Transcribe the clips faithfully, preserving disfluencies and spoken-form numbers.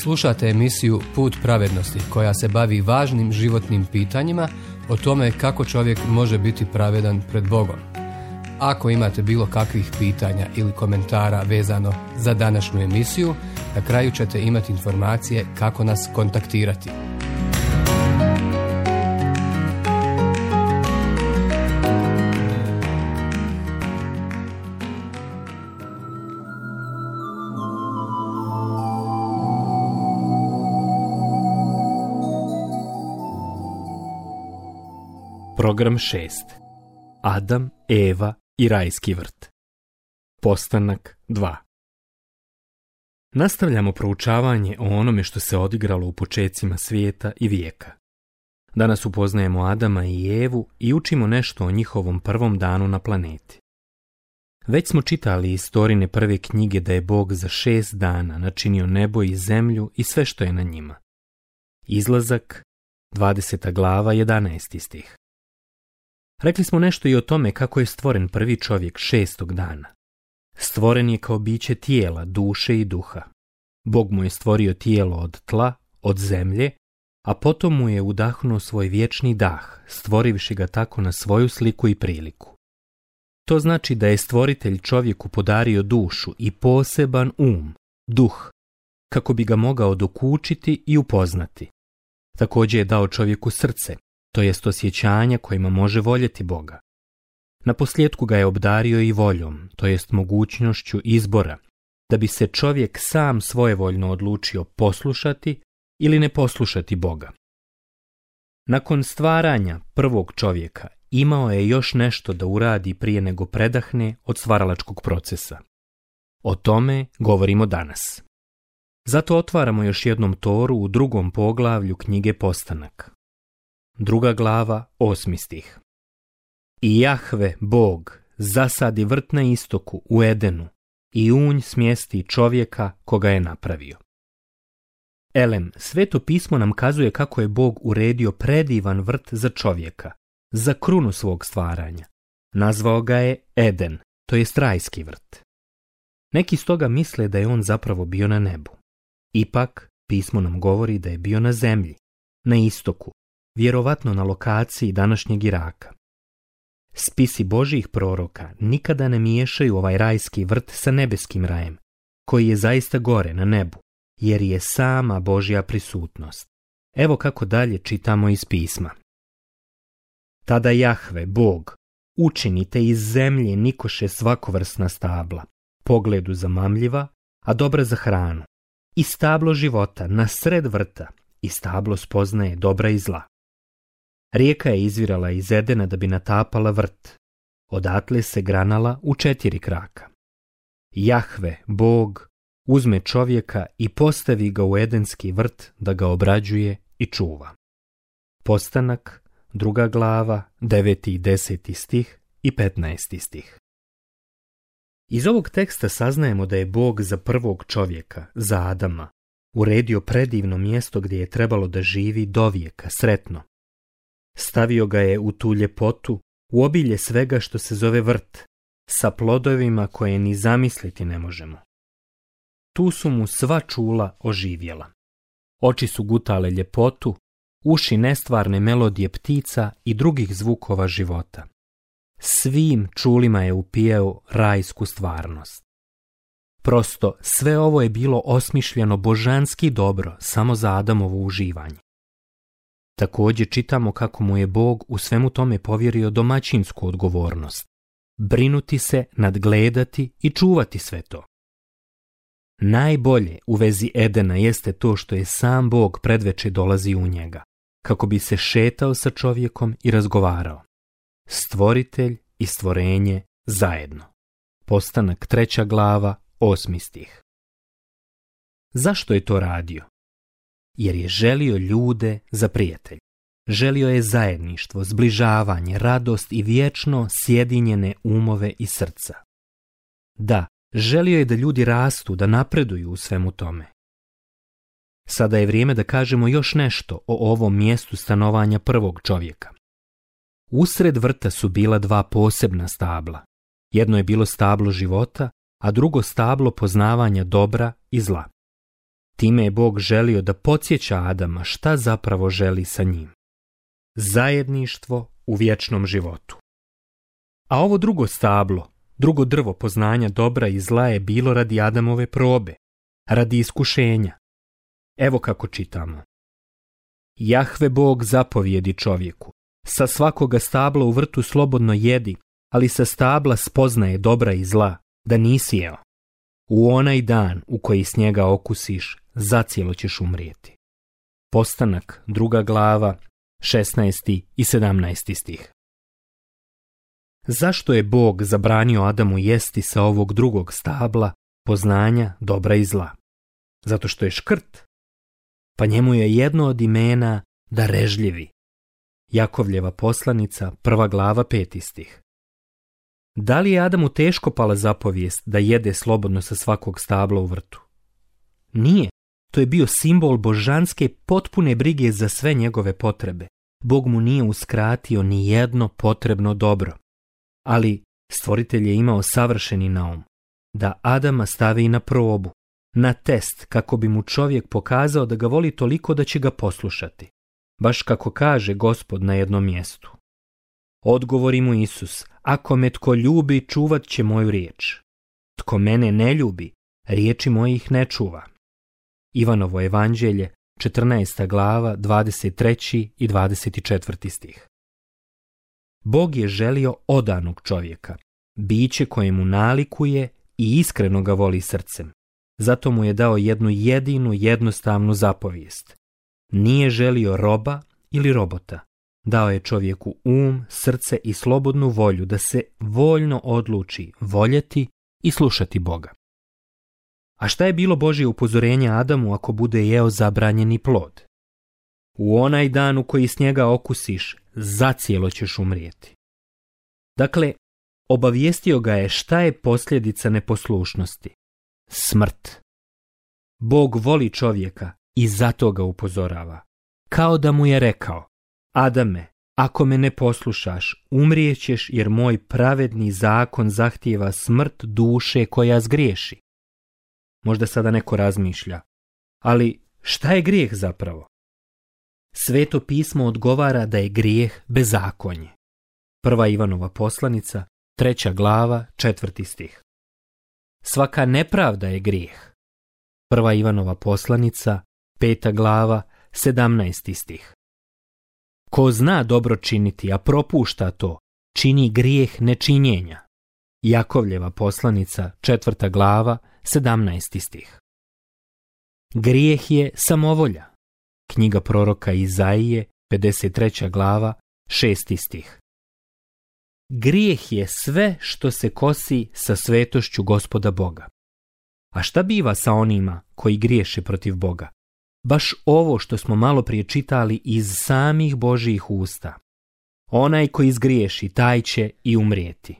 Slušate emisiju Put pravednosti koja se bavi važnim životnim pitanjima o tome kako čovjek može biti pravedan pred Bogom. Ako imate bilo kakvih pitanja ili komentara vezano za današnju emisiju, na kraju ćete imati informacije kako nas kontaktirati. Program šest. Adam, Eva i rajski vrt. Postanak dva. Nastavljamo proučavanje o onome što se odigralo u počecima svijeta i vijeka. Danas upoznajemo Adama i Evu i učimo nešto o njihovom prvom danu na planeti. Već smo čitali iz Torine prve knjige da je Bog za šest dana načinio nebo i zemlju i sve što je na njima. Izlazak, dvadeseta glava, jedanaesti stih. Rekli smo nešto i o tome kako je stvoren prvi čovjek šestog dana. Stvoren je kao biće tijela, duše i duha. Bog mu je stvorio tijelo od tla, od zemlje, a potom mu je udahnuo svoj vječni dah, stvorivši ga tako na svoju sliku i priliku. To znači da je stvoritelj čovjeku podario dušu i poseban um, duh, kako bi ga mogao dokučiti i upoznati. Također je dao čovjeku srce, to jest osjećanja kojima može voljeti Boga. Naposljetku ga je obdario i voljom, to jest mogućnošću izbora, da bi se čovjek sam svojevoljno odlučio poslušati ili ne poslušati Boga. Nakon stvaranja prvog čovjeka imao je još nešto da uradi prije nego predahne od stvaralačkog procesa. O tome govorimo danas. Zato otvaramo još jednom Toru u drugom poglavlju knjige Postanak. Druga glava, osmi stih. I Jahve, Bog, zasadi vrt na istoku u Edenu i u nj smjesti čovjeka koga je napravio. Elem, Sveto pismo nam kazuje kako je Bog uredio predivan vrt za čovjeka, za krunu svog stvaranja. Nazvao ga je Eden, to jest rajski vrt. Neki stoga misle da je on zapravo bio na nebu. Ipak, pismo nam govori da je bio na zemlji, na istoku, vjerovatno na lokaciji današnjeg Iraka. Spisi Božjih proroka nikada ne miješaju ovaj rajski vrt sa nebeskim rajem, koji je zaista gore na nebu, jer je sama Božja prisutnost. Evo kako dalje čitamo iz pisma. Tada Jahve, Bog, učinite iz zemlje nikoše svakovrsna stabla, pogledu zamamljiva, a dobra za hranu, i stablo života na sred vrta, i stablo spoznaje dobra i zla. Rijeka je izvirala iz Edena da bi natapala vrt. Odatle se granala u četiri kraka. Jahve, Bog, uzme čovjeka i postavi ga u edenski vrt da ga obrađuje i čuva. Postanak, druga glava, deveti i deseti stih i petnaesti stih. Iz ovog teksta saznajemo da je Bog za prvog čovjeka, za Adama, uredio predivno mjesto gdje je trebalo da živi dovijeka, sretno. Stavio ga je u tu ljepotu, u obilje svega što se zove vrt, sa plodovima koje ni zamisliti ne možemo. Tu su mu sva čula oživjela. Oči su gutale ljepotu, uši nestvarne melodije ptica i drugih zvukova života. Svim čulima je upijao rajsku stvarnost. Prosto, sve ovo je bilo osmišljeno božanski dobro samo za Adamovo uživanje. Također čitamo kako mu je Bog u svemu tome povjerio domaćinsku odgovornost. Brinuti se, nadgledati i čuvati sve to. Najbolje u vezi Edena jeste to što je sam Bog predveče dolazi u njega, kako bi se šetao sa čovjekom i razgovarao. Stvoritelj i stvorenje zajedno. Postanak treća glava, osmi stih. Zašto je to radio? Jer je želio ljude za prijatelj. Želio je zajedništvo, zbližavanje, radost i vječno sjedinjene umove i srca. Da, želio je da ljudi rastu, da napreduju u svemu tome. Sada je vrijeme da kažemo još nešto o ovom mjestu stanovanja prvog čovjeka. Usred vrta su bila dva posebna stabla. Jedno je bilo stablo života, a drugo stablo poznavanja dobra i zla. Time je Bog želio da podsjeća Adama šta zapravo želi sa njim. Zajedništvo u vječnom životu. A ovo drugo stablo, drugo drvo poznanja dobra i zla je bilo radi Adamove probe, radi iskušenja. Evo kako čitamo. Jahve Bog zapovjedi čovjeku, sa svakoga stabla u vrtu slobodno jedi, ali sa stabla spoznaje dobra i zla, da nisi jeo. U onaj dan u koji s njega okusiš, zacijelo ćeš umrijeti. Postanak, druga glava, šesnaesti i sedamnaesti stih. Zašto je Bog zabranio Adamu jesti sa ovog drugog stabla, poznanja dobra i zla? Zato što je škrt. Pa njemu je jedno od imena darežljivi. Jakovljeva poslanica, prva glava, peti stih. Da li je Adamu teško pala zapovijest da jede slobodno sa svakog stabla u vrtu? Nije. To je bio simbol božanske potpune brige za sve njegove potrebe. Bog mu nije uskratio ni jedno potrebno dobro. Ali stvoritelj je imao savršeni naum, da Adama stavi na probu, na test, kako bi mu čovjek pokazao da ga voli toliko da će ga poslušati. Baš kako kaže Gospod na jednom mjestu. Odgovori mu Isus, ako me tko ljubi, čuvat će moju riječ. Tko mene ne ljubi, riječi mojih ne čuva. Ivanovo evanđelje, četrnaesta glava, dvadeset treći i dvadeset četvrti stih. Bog je želio odanog čovjeka, biće koje mu nalikuje i iskreno ga voli srcem. Zato mu je dao jednu jedinu jednostavnu zapovijest. Nije želio roba ili robota. Dao je čovjeku um, srce i slobodnu volju da se voljno odluči voljeti i slušati Boga. A šta je bilo Božje upozorenje Adamu ako bude jeo zabranjeni plod? U onaj dan u koji s njega okusiš, zacijelo ćeš umrijeti. Dakle, obavijestio ga je šta je posljedica neposlušnosti. Smrt. Bog voli čovjeka i zato ga upozorava. Kao da mu je rekao, Adame, ako me ne poslušaš, umrijećeš jer moj pravedni zakon zahtijeva smrt duše koja zgriješi. Možda sada neko razmišlja, ali šta je grijeh zapravo? Sveto pismo odgovara da je grijeh bezakonje. Prva Ivanova poslanica, treća glava, četvrti stih. Svaka nepravda je grijeh. Prva Ivanova poslanica, peta glava, sedamnaesti stih. Ko zna dobro činiti, a propušta to, čini grijeh nečinjenja. Jakovljeva poslanica, četvrta glava, sedamnaesti stih. Grijeh je samovolja. Knjiga proroka Izaije, pedeset treća glava, šesti stih. Grijeh je sve što se kosi sa svetošću Gospoda Boga. A šta biva sa onima koji griješe protiv Boga? Baš ovo što smo malo prije čitali iz samih Božjih usta. Onaj koji zgriješi, taj će i umrijeti.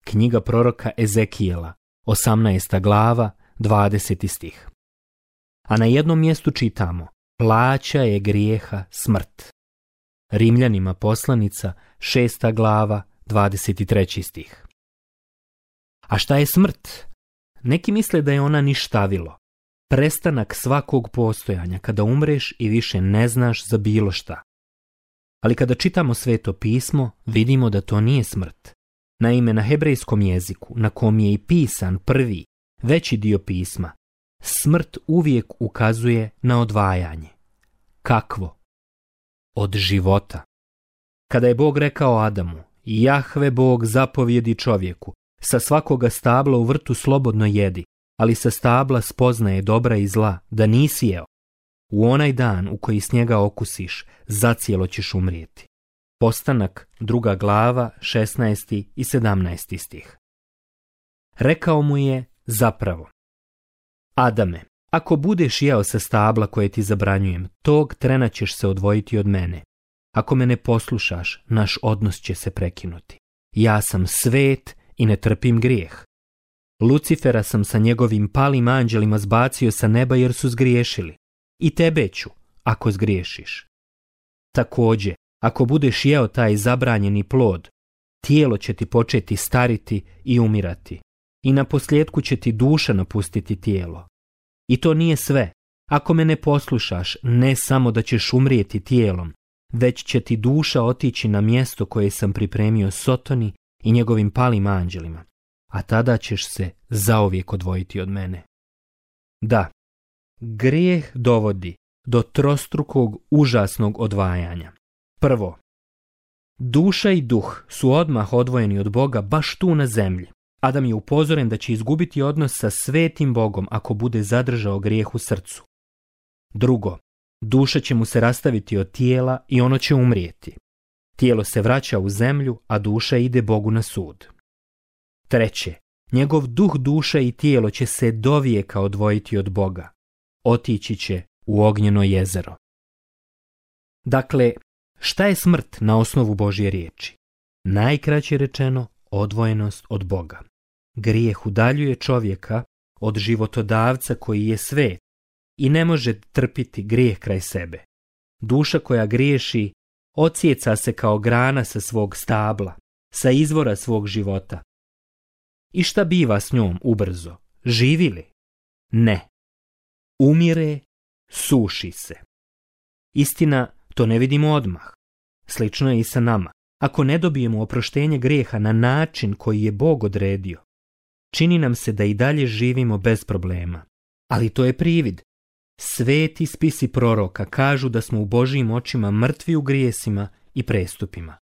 Knjiga proroka Ezekijela, osamnaesta glava, dvadeseti stih. A na jednom mjestu čitamo, plaća je grijeha smrt. Rimljanima poslanica, šesta glava, dvadeset treći stih. A šta je smrt? Neki misle da je ona ništavilo. Prestanak svakog postojanja kada umreš i više ne znaš za bilo šta. Ali kada čitamo Sveto pismo, vidimo da to nije smrt. Naime, na hebrejskom jeziku, na kom je i pisan prvi, veći dio pisma, smrt uvijek ukazuje na odvajanje. Kakvo? Od života. Kada je Bog rekao Adamu, Jahve Bog zapovjedi čovjeku, sa svakoga stabla u vrtu slobodno jedi, ali sa stabla spoznaje dobra i zla, da nisi jeo. U onaj dan u koji s njega okusiš, zacijelo ćeš umrijeti. Postanak, druga glava, šesnaesti i sedamnaesti stih. Rekao mu je zapravo, Adame, ako budeš jeo sa stabla koje ti zabranjujem, tog trena ćeš se odvojiti od mene. Ako me ne poslušaš, naš odnos će se prekinuti. Ja sam svet i ne trpim grijeh. Lucifera sam sa njegovim palim anđelima zbacio sa neba jer su zgriješili. I tebe ću, ako zgriješiš. Također, ako budeš jeo taj zabranjeni plod, tijelo će ti početi stariti i umirati. I na posljedku će ti duša napustiti tijelo. I to nije sve. Ako me ne poslušaš, ne samo da ćeš umrijeti tijelom, već će ti duša otići na mjesto koje sam pripremio Sotoni i njegovim palim anđelima, a tada ćeš se zauvijek odvojiti od mene. Da, grijeh dovodi do trostrukog užasnog odvajanja. Prvo, duša i duh su odmah odvojeni od Boga baš tu na zemlji. Adam je upozoren da će izgubiti odnos sa svetim Bogom ako bude zadržao grijeh u srcu. Drugo, duša će mu se rastaviti od tijela i ono će umrijeti. Tijelo se vraća u zemlju, a duša ide Bogu na sud. Treće, njegov duh, duša i tijelo će se dovijeka odvojiti od Boga. Otići će u ognjeno jezero. Dakle, šta je smrt na osnovu Božje riječi? Najkraće rečeno, odvojenost od Boga. Grijeh udaljuje čovjeka od životodavca koji je svet i ne može trpiti grijeh kraj sebe. Duša koja griješi odsjeca se kao grana sa svog stabla, sa izvora svog života. I šta biva s njom ubrzo? Živi li? Ne. Umire, suši se. Istina, to ne vidimo odmah. Slično je i sa nama. Ako ne dobijemo oproštenje grijeha na način koji je Bog odredio, čini nam se da i dalje živimo bez problema. Ali to je privid. Sveti spisi proroka kažu da smo u Božjim očima mrtvi u grijesima i prestupima.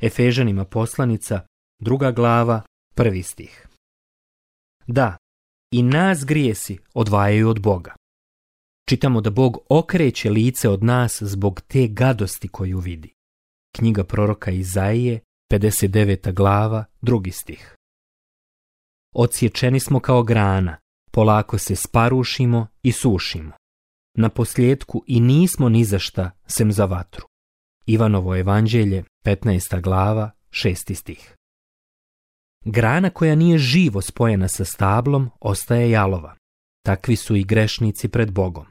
Efežanima poslanica, druga glava, prvi stih. Da, i nas grijesi odvajaju od Boga. Čitamo da Bog okreće lice od nas zbog te gadosti koju vidi. Knjiga proroka Izaije, pedeset deveta glava, drugi stih. Odsječeni smo kao grana, polako se sparušimo i sušimo. Na posljedku i nismo ni za šta sem za vatru. Ivanovo evanđelje, petnaesta glava, šesti stih. Grana koja nije živo spojena sa stablom ostaje jalova. Takvi su i grešnici pred Bogom.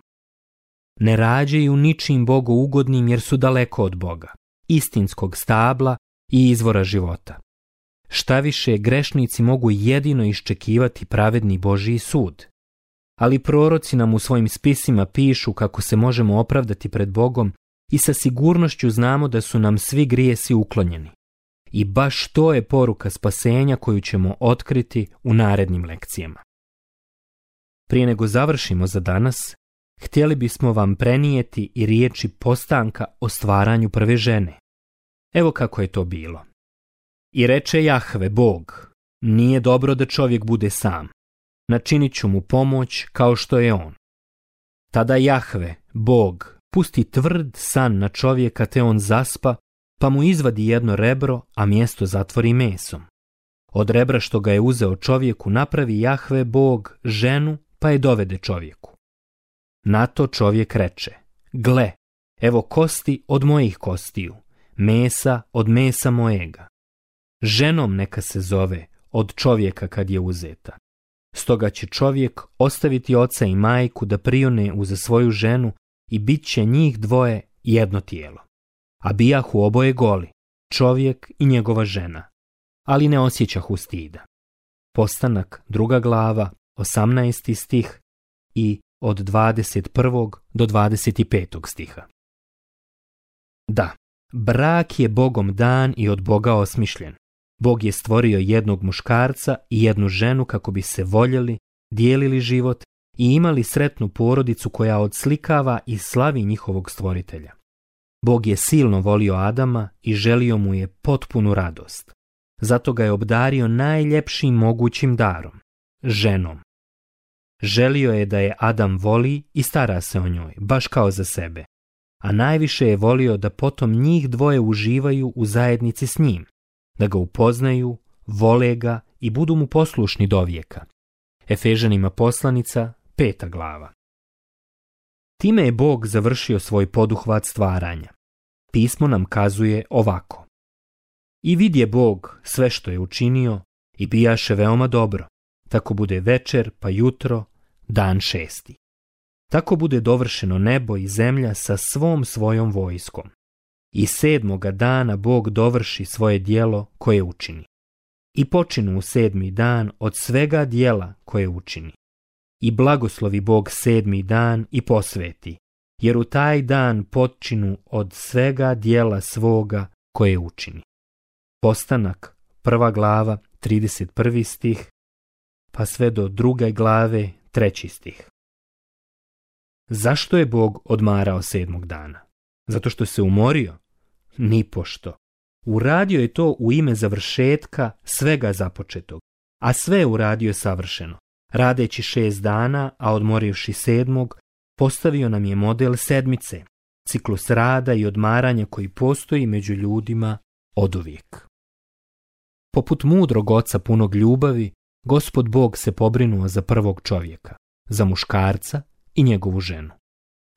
Ne rađaju ničim Bogu ugodnim jer su daleko od Boga, istinskog stabla i izvora života. Šta više, grešnici mogu jedino iščekivati pravedni Božji sud. Ali proroci nam u svojim spisima pišu kako se možemo opravdati pred Bogom i sa sigurnošću znamo da su nam svi grijesi uklonjeni. I baš to je poruka spasenja koju ćemo otkriti u narednim lekcijama. Prije nego završimo za danas, htjeli bismo vam prenijeti i riječi postanka o stvaranju prve žene. Evo kako je to bilo. I reče Jahve, Bog, nije dobro da čovjek bude sam. Načinit ću mu pomoć kao što je on. Tada Jahve, Bog, pusti tvrd san na čovjeka te on zaspa, pa mu izvadi jedno rebro, a mjesto zatvori mesom. Od rebra što ga je uzeo čovjeku napravi Jahve, Bog, ženu, pa je dovede čovjeku. Na to čovjek reče, gle, evo kosti od mojih kostiju, mesa od mesa mojega. Ženom neka se zove od čovjeka kad je uzeta. Stoga će čovjek ostaviti oca i majku da prione uza svoju ženu i bit će njih dvoje jedno tijelo. A bijahu oboje goli, čovjek i njegova žena, ali ne osjećahu stida. Postanak, druga glava, osamnaesti stih i od dvadeset prvog do dvadeset petog stiha. Da, brak je Bogom dan i od Boga osmišljen. Bog je stvorio jednog muškarca i jednu ženu kako bi se voljeli, dijelili život i imali sretnu porodicu koja odslikava i slavi njihovog stvoritelja. Bog je silno volio Adama i želio mu je potpunu radost. Zato ga je obdario najljepšim mogućim darom, ženom. Želio je da je Adam voli i stara se o njoj, baš kao za sebe. A najviše je volio da potom njih dvoje uživaju u zajednici s njim, da ga upoznaju, vole ga i budu mu poslušni do vijeka. Efežanima poslanica, peta glava. Time je Bog završio svoj poduhvat stvaranja. Pismo nam kazuje ovako. I vidje Bog sve što je učinio i bijaše veoma dobro. Tako bude večer pa jutro, dan šesti. Tako bude dovršeno nebo i zemlja sa svom svojom vojskom. I sedmoga dana Bog dovrši svoje djelo koje učini. I počinu u sedmi dan od svega djela koje učini. i blagoslovi Bog sedmi dan i posveti, jer u taj dan počinu od svega dijela svoga koje učini. Postanak, prva glava, trideset prvi stih, pa sve do druge glave, treći stih. Zašto je Bog odmarao sedmog dana? Zato što se umorio? Nipošto. Uradio je to u ime završetka svega započetog, a sve je uradio savršeno. Radeći šest dana, a odmorivši sedmog, postavio nam je model sedmice, ciklus rada i odmaranja koji postoji među ljudima oduvijek. Poput mudrog oca punog ljubavi, Gospod Bog se pobrinuo za prvog čovjeka, za muškarca i njegovu ženu.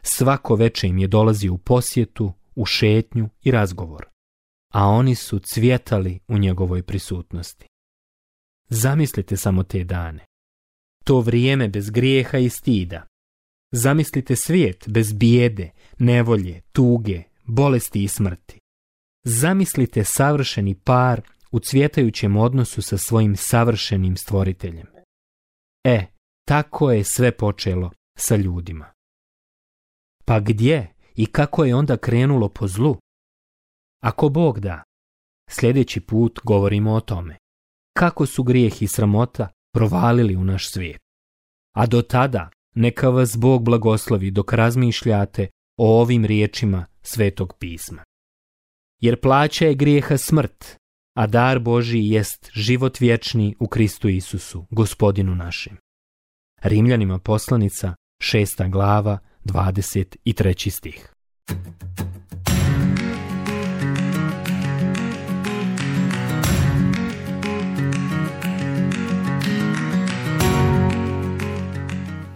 Svako veče im je dolazio u posjetu, u šetnju i razgovor, a oni su cvjetali u njegovoj prisutnosti. Zamislite samo te dane. To vrijeme bez grijeha i stida. Zamislite svijet bez bijede, nevolje, tuge, bolesti i smrti. Zamislite savršeni par u cvjetajućem odnosu sa svojim savršenim stvoriteljem. E, tako je sve počelo sa ljudima. Pa gdje i kako je onda krenulo po zlu? Ako Bog da, sljedeći put govorimo o tome. Kako su grijeh i sramota provalili u naš svijet. A do tada neka vas Bog blagoslovi dok razmišljate o ovim riječima Svetog pisma. Jer plaća je grijeha smrt, a dar Božji jest život vječni u Kristu Isusu, Gospodinu našem. Rimljanima poslanica, šesta glava, dvadeset treći stih.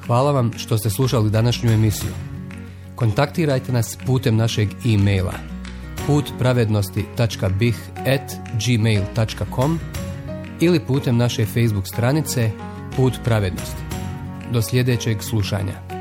Hvala vam što ste slušali današnju emisiju. Kontaktirajte nas putem našeg e-maila put pravednosti tačka b i h at gmail tačka com ili putem naše Facebook stranice Put pravednosti. Do sljedećeg slušanja.